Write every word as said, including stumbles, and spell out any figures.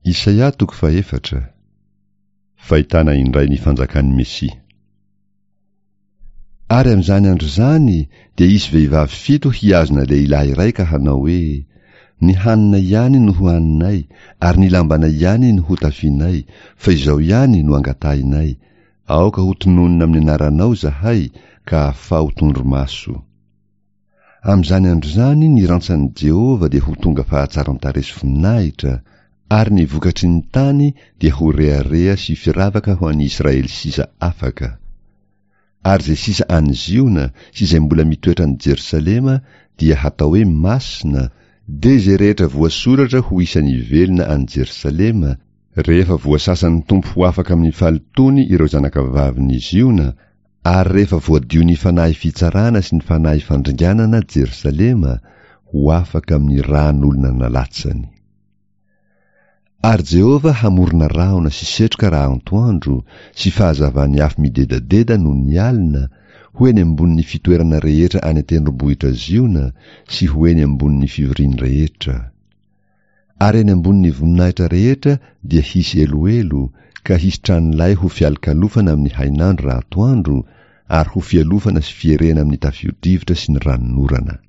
Isaia toko fahefatra. Fahitana indray ny fanjakan'ny Mesia. Ary amin'izany andro izany dia hisy vehivavy fito hihazona lehilahy iray ka hanao hoe: Ny hanina ihany no hohaninay, ary ny lambanay ihany no hotafianay, fa izao ihany no angatahinay, aoka ho tononina amin'ny anaranao izahay, ka afaho tondromaso. Amin'izany andro izany ny rantsan'i Jehovah dia ho tonga fahatsaran-tarehy sy voninahitra, ary ny vokatry ny tany dia ho rehareha sy firavaka ho an'ny Israely sisa afaka. Ary izay sisa any Ziona sy izay mbola mitoetra any Jerosalema dia hatao hoe masina, dia izay rehetra voasoratra ho isan'ny velona any Jerosalema, rehefa voasasan'ny Tompo ho afaka amin'ny fahalotoany ireo zanakavavin'i Ziona, ary rehefa voadio ny fanahy fitsarana sy ny fanahy fandringanana Jerosalema, ho afaka amin'ny ràn'olona nalatsany. Ary Jehovah hamorona rahona sy setroka raha antoandro, sy fahazavan'ny afo midedadeda noho ny alina, ho eny ambonin'ny fitoerana rehetra any an-tendrombohitra Ziona, sy ho eny ambonin'ny fivoriany rehetra. Ary eny ambonin'ny voninahitra rehetra dia hisy eloelo, ka hisy tranolay ho fialokalofana amin'ny hainandro raha atoandro, ary ho fialofana sy fierena amin'ny tafio-drivotra sy ny ranonorana.